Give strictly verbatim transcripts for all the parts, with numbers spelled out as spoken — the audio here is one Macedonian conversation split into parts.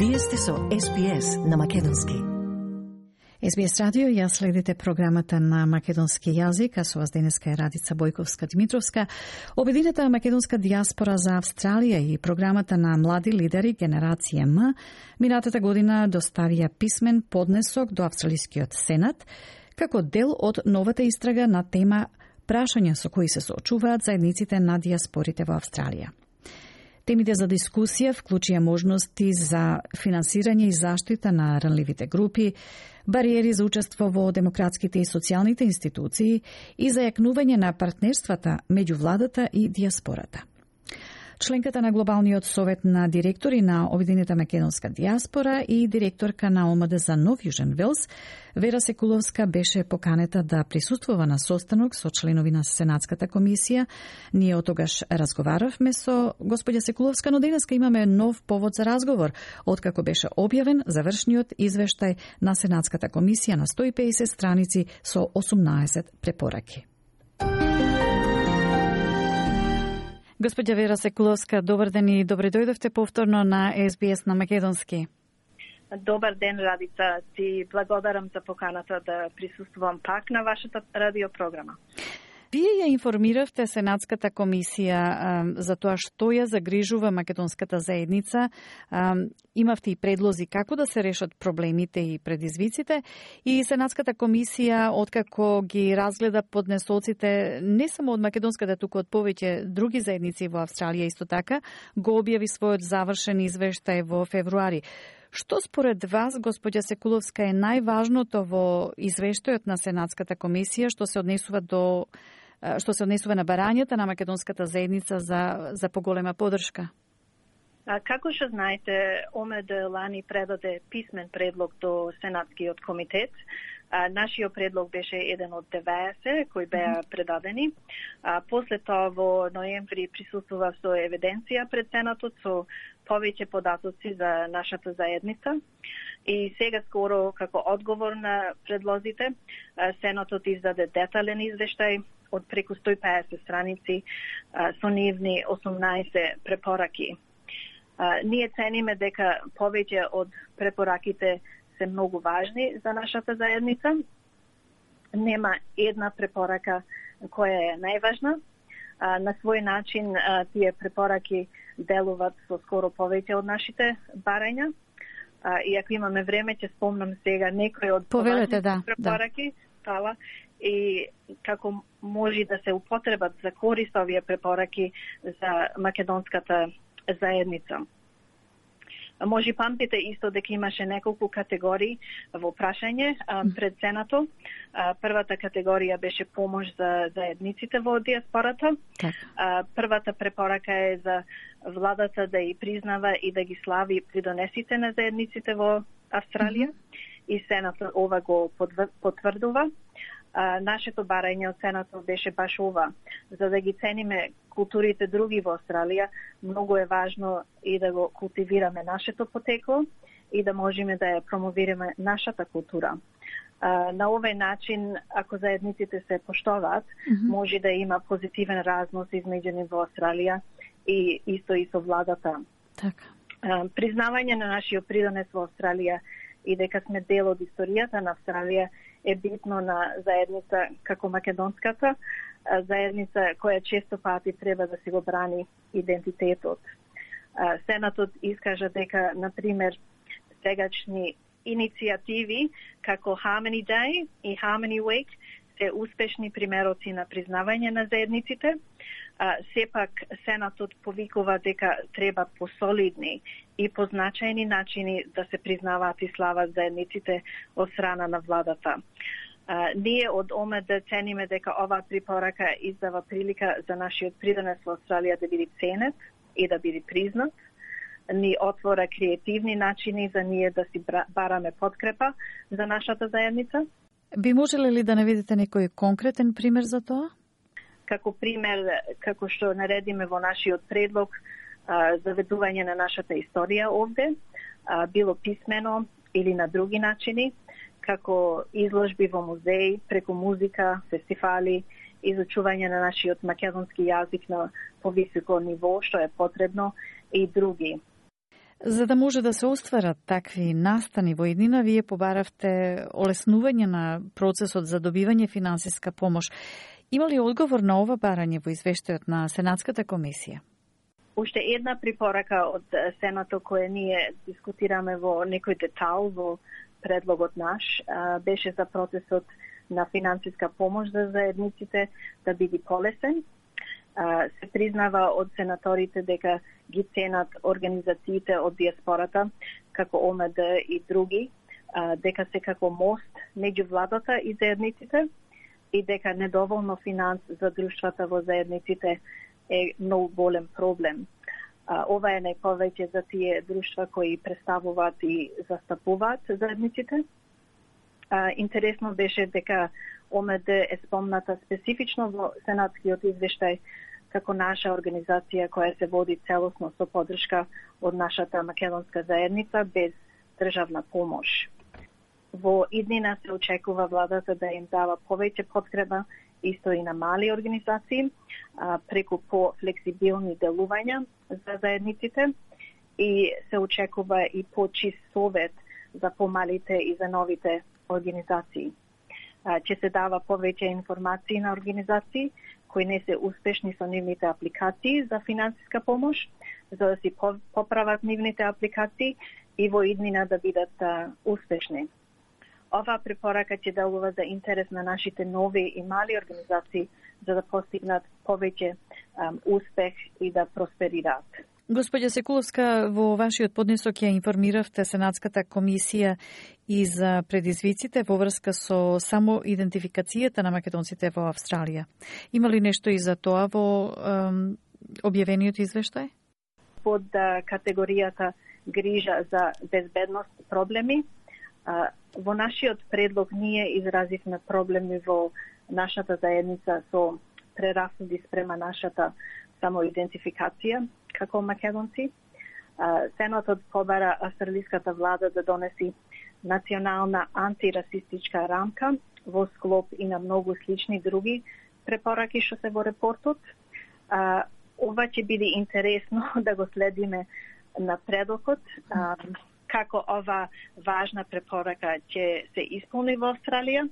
Вие сте со Ес Би Ес на македонски. Ес Би Ес радио, ја следите програмата на македонски јазик, а со вас денеска е Радица Бојковска-Димитровска. Обединета македонска дијаспора за Австралија и програмата на млади лидери Генерација М минатата година доставија писмен поднесок до Австралискиот Сенат како дел од новата истрага на тема прашања со кои се соочуваат заедниците на дијаспорите во Австралија. Темите за дискусија вклучија можности за финансирање и заштита на ранливите групи, бариери за учество во демократските и социјалните институции и зајакнување на партнерствата меѓу владата и дијаспората. Членката на Глобалниот совет на директори на Обединета македонска дијаспора и директорка на О М Д за Нов Јужен Велс, Вера Секуловска беше поканета да присуствува на состанок со членови на Сенатската комисија. Ние од тогаш разговаравме со господја Секуловска, но денеска имаме нов повод за разговор, откако беше објавен завршниот извештај на Сенатската комисија на сто и педесет страници со осумнаесет препораки. Господја Вера Секуловска, добар ден и добре дојдовте повторно на Ес Би Ес на македонски. Добар ден, Радица. Ти благодарам за поканата да присуствувам пак на вашата радиопрограма. Вие ја информиравте Сенатската комисија а, за тоа што ја загрижува македонската заедница. А, имавте и предлози како да се решат проблемите и предизвиците. И Сенатската комисија, откако ги разгледа поднесоците не само од македонската, туку од повеќе други заедници во Австралија исто така, го објави својот завршен извештај во февруари. Што според вас, господја Секуловска, е најважното во извештајот на Сенатската комисија што се однесува до што се однесува на барањата на македонската заедница за за поголема поддршка? А, како што знаете, О М Д лани предаде писмен предлог до Сенатскиот комитет. А, нашиот предлог беше еден од деветдесет кои беа предадени. А, после тоа во ноември присуствува со евиденција пред Сенатот со повеќе податоци за нашата заедница. И сега скоро, како одговор на предлозите, Сенатот издаде детален извештај од преку сто и педесет страници со нивни осумнаесет препораки. А, ние цениме дека повеќе од препораките се многу важни за нашата заедница. Нема една препорака која е најважна. А, на свој начин а, тие препораки делуваат со скоро повеќе од нашите барања. А, и ако имаме време, ќе спомнам сега некои од повелете, да, препораки, да. И како може да се употребат за корист овие препораки за македонската заедница. Може памтите исто дека имаше неколку категории во прашање пред Сенатот. Првата категорија беше помош за заедниците во дијаспората. Првата препорака е за владата да ја признава и да ги слави придонесите на заедниците во Австралија. И Сенатот ова го потврдува. А, нашето барање од Сенатот беше баш ова. За да ги цениме културите други во Австралија, многу е важно и да го култивираме нашето потекло и да можеме да ја промовираме нашата култура. А, на овој начин, ако заедниците се поштоваат, mm-hmm. може да има позитивен разнос измеѓу нив во Австралија и исто и со владата. Така. А, признавање на нашиот придонес во Австралија и дека сме дел од историјата на Австралија е битно на заедница како македонската, заедница која често пати треба да си го брани идентитетот. Сенатот искажа дека, например, сегачни иницијативи како Harmony Day и Harmony Week се успешни примероци на признавање на заедниците. Сепак Сенатот повикува дека треба посолидни и позначајни начини да се признаваат и слават заедниците од страна на владата. А, ние од О М Д цениме дека оваа препорака издава прилика за нашиот придонес во Австралија да биде ценет и да биде признат. Ни отвора креативни начини за ние да си бараме подкрепа за нашата заедница. Би можеле ли да наведете некој конкретен пример за тоа? Како пример, како што наредиме во нашиот предлог, а, заведување на нашата историја овде, а, било писмено или на други начини, како изложби во музеи, преку музика, фестивали, изучување на нашиот македонски јазик на повисоко ниво, што е потребно, и други. За да може да се остварат такви настани во иднина, вие побаравте олеснување на процесот за добивање финансиска помош. Има ли одговор на ова барање во извештајот на Сенатската комисија? Уште една препорака од Сенато која ние дискутираме во некој детал во предлогот наш беше за процесот на финансиска помош за заедниците да биде полесен. Се признава од сенаторите дека ги ценат организациите од диаспората, како О М Д и други, дека се како мост меѓу владата и заедниците и дека недоволно финанс за друштвата во заедниците е многу голем проблем. Ова е најповеќе за тие друштва кои представуваат и застапуваат заедниците. Интересно беше дека О М Д е спомната специфично во Сенатскиот извештај како наша организација која се води целосно со поддршка од нашата македонска заедница без државна помош. Во иднина се очекува владата да им дава повеќе подкрепа исто и на мали организации преку по-флексибилни делувања за заедниците и се очекува и по-чист совет за помалите и за новите организации. Ќе се дава повеќе информации на организации кои не се успешни со нивните апликации за финансиска помош, за да си поправат нивните апликации и во иднина да бидат успешни. Оваа препорака ќе делува за интерес на нашите нови и мали организации за да постигнат повеќе um, успех и да просперираат. Господја Секуловска, во вашиот поднесок ја информиравте Сенатската комисија и за предизвиците во врска со само идентификацијата на македонците во Австралија. Има ли нешто и за тоа во ем, објавениот извештај? Под категоријата грижа за безбедност проблеми, во нашиот предлог ние изразивме проблеми во нашата заедница со прерасуди спрема нашата самоидентификација како македонци. Сенатот побара австралиската влада да донеси национална антирасистичка рамка во склоп и на многу слични други препораки што се во репортот. Ова ќе биде интересно да го следиме напредокот, како ова важна препорака ќе се исполни во Австралија,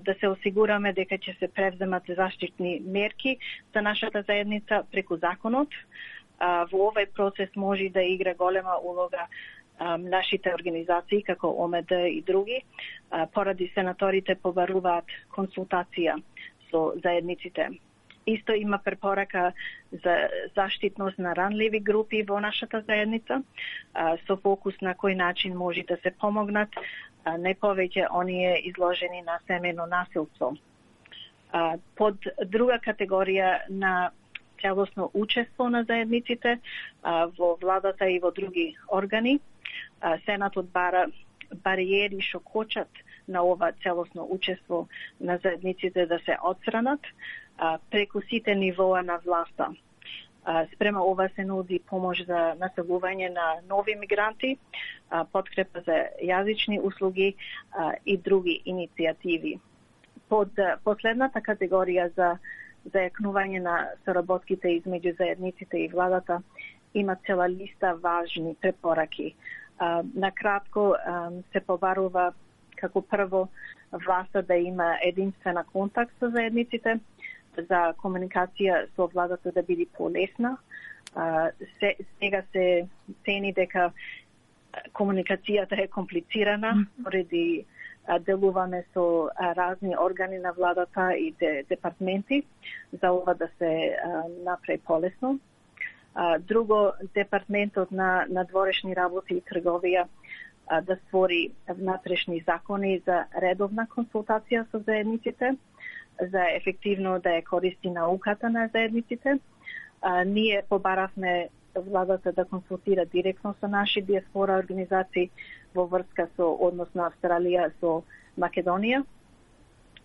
да се осигураме дека ќе се превземат заштитни мерки за нашата заедница преку законот. Во овој процес може да игра голема улога нашите организации како О М Д и други, поради сенаторите побаруваат консултација со заедниците. Исто има препорака за заштитност на ранливи групи во нашата заедница, со фокус на кој начин може да се помогнат најповеќе оние изложени на семејно насилство. Под друга категорија на целосно учество на заедниците во владата и во други органи, Сенатот бара бариери што кочат на ова целосно учество на заедниците да се отстранат преку сите нивоа на власта. Спрема ова се нуди помош за населување на нови мигранти, подкрепа за јазични услуги и други иницијативи. Под последната категорија за зајакнување на соработките измеѓу заедниците и владата има цела листа важни препораки. Накратко се побарува како прво власта да има единствена контакт со заедниците, за комуникација со владата да биде полесна. Сега се цени дека комуникацијата е комплицирана, поради делуваме со разни органи на владата и департменти, за ова да се направи полесно. Друго, департментот на надворешни работи и трговија да створи внатрешни закони за редовна консултација со заедниците, за ефективно да ја користи науката на заедниците. А, ние побаравме владата да консултира директно со наши диаспора организации во врска со однос на Австралија со Македонија.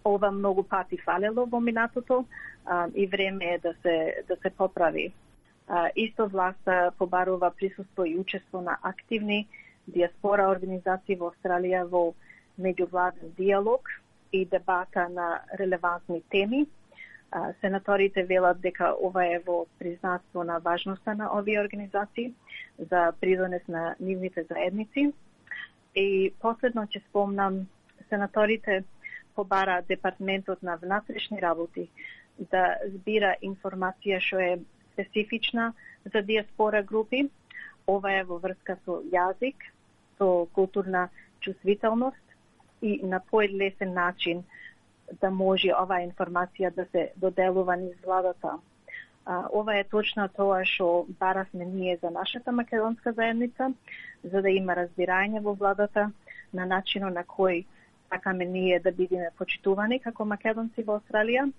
Ова многу пати фалело во минатото а, и време е да се да се поправи. А, исто власта побарува присуство и учество на активни диаспора организации во Австралија во меѓувладен диалог и дебата на релевантни теми. Сенаторите велат дека ова е во признатство на важноста на овие организации за придонес на нивните заедници. И последно ќе спомнам, сенаторите побара Департментот на внатрешни работи да збира информација што е специфична за диаспора групи. Ова е во врска со јазик, со културна чувствителност и на поедлесен начин да може оваа информација да се доделува низ владата. А, ова е точно тоа што баравме ние за нашата македонска заедница, за да има разбирање во владата на начинот на кој сакаме ние да бидеме почитувани како македонци во Австралија,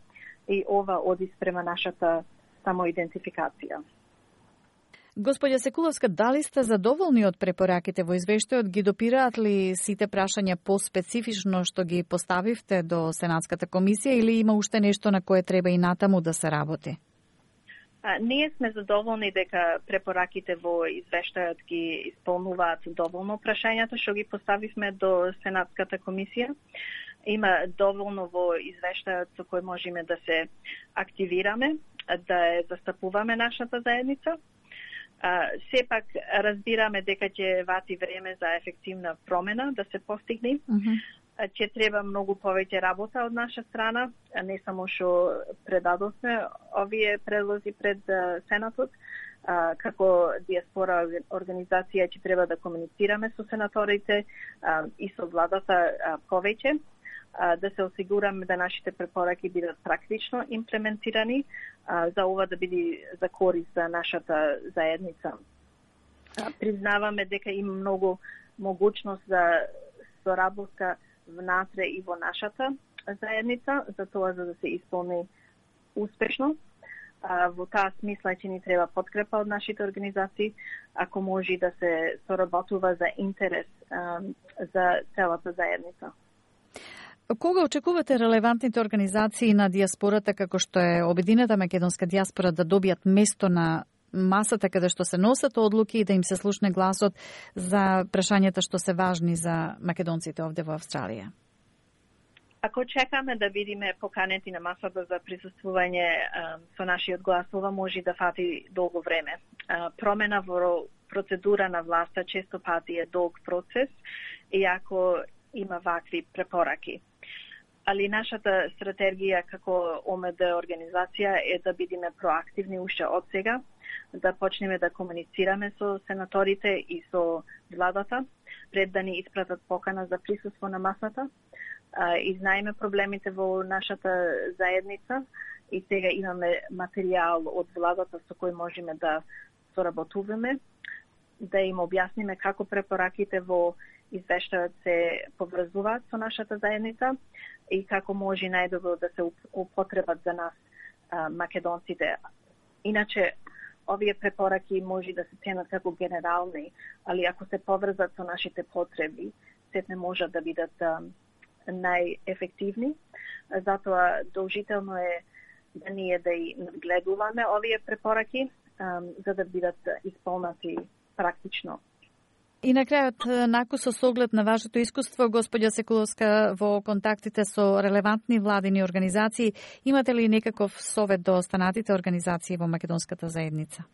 и ова оди спрема нашата самоидентификација. Господја Секуловска, дали сте задоволни од препораките во извештајот? Ги допираат ли сите прашања по-специфично што ги поставивте до Сенатската комисија, или има уште нешто на кое треба и натаму да се работи? А, ние сме задоволни дека препораките во извештајот ги исполнуваат доволно прашањата што ги поставивме до Сенатската комисија. Има доволно во извештајот со кој можеме да се активираме, да ја застапуваме нашата заедница. А, сепак разбираме дека ќе вати време за ефективна промена да се постигне. Mm-hmm. Ќе треба многу повеќе работа од наша страна, а не само што предадовме овие предлози пред Сенатот. А, како диаспора организација ќе треба да комуницираме со сенаторите а, и со владата а, повеќе, а, да се осигураме да нашите препораки бидат практично имплементирани, а, за ова да биде за корист за нашата заедница. А, признаваме дека има многу могуćност за соработка внатре и во нашата заедница, за тоа за да се исполни успешно. А, во таа смисла ќе ни треба подкрепа од нашите организации, ако може да се соработува за интерес а, за целата заедница. Кога очекувате релевантните организации на диаспората, како што е Обединета македонска диаспора, да добијат место на масата каде што се носат одлуки и да им се слушне гласот за прашањата што се важни за македонците овде во Австралија? Ако чекаме да видиме поканети на масата за присуствување а, со нашиот глас, ова може да фати долго време. А, промена во процедура на власта често пати е долг процес, иако има вакви препораки. Али нашата стратегија како О М Д организација е да бидеме проактивни уште од сега, да почнеме да комуницираме со сенаторите и со владата, пред да ни испратат покана за присуство на масата. И знаеме проблемите во нашата заедница и сега имаме материјал од владата со кој можеме да соработуваме, да им објасниме како препораките во извештајот се поврзуваат со нашата заедница и како може најдобро да се употребат за нас а, македонците. Иначе, овие препораки може да се ценат како генерални, али ако се поврзат со нашите потреби, сетне можат да бидат а, најефективни. Затоа должително е да ние да и надгледуваме овие препораки, а, за да бидат исполнати практично. И на крајот, накусо со оглед на вашето искуство, господја Секуловска, во контактите со релевантни владини организации, имате ли некаков совет до останатите организации во македонската заедница?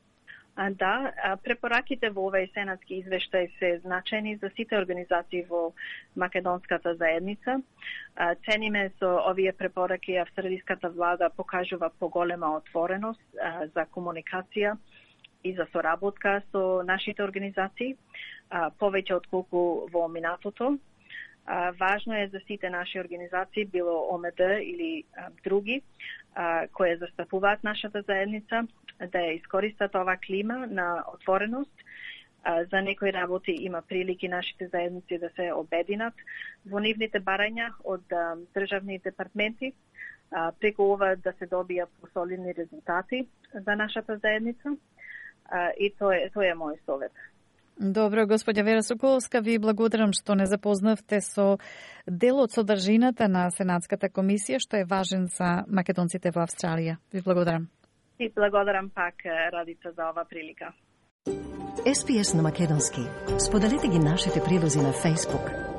А, да, препораките во овој сенатски извештај се значајни за сите организации во македонската заедница. Цениме со овие препораки австралиската влада покажува поголема отвореност за комуникација и за соработка со нашите организации, повеќе од колку во минатото. Важно е за сите наши организации, било О М Д или други, кои застапуваат нашата заедница, да ја искористат ова клима на отвореност. За некои работи има прилики нашите заедници да се обединат во нивните барања од државни департменти, преку ова да се добија посолидни резултати за нашата заедница. И тоа е, тоа е мој совет. Добро, господја Вера Соколовска, ви благодарам што не запознавте со дел од содржината на Сенатската комисија, што е важен за македонците во Австралија. Ви благодарам. И благодарам пак, Радица, за ова прилика. С П С на македонски. Споделете ги нашите прилози на Facebook.